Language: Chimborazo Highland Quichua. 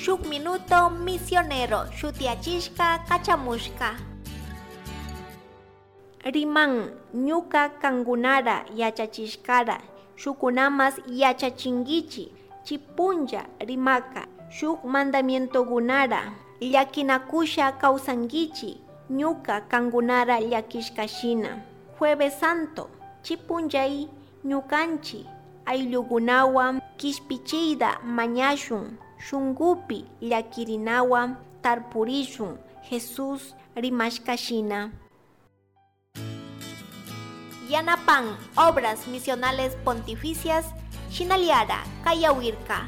Shuk Minuto Misionero shutiyachishka kachamushka. Riman ñuka kangunara yachachishkara shukunamas yachachinguichi. Chi punlla rimaka shuk mandamientogunara llakinakusha kawsanguichi ñuka kangunara llakishkashina. Jueves Santo chi punllay ñukanchik ayllukunawan kishpichiyta mañashun, shunkupi llakirinawan tarpurishun Jesús rimashkashina. Yanapan Obras Misionales Pontificias shinallara kayawirka.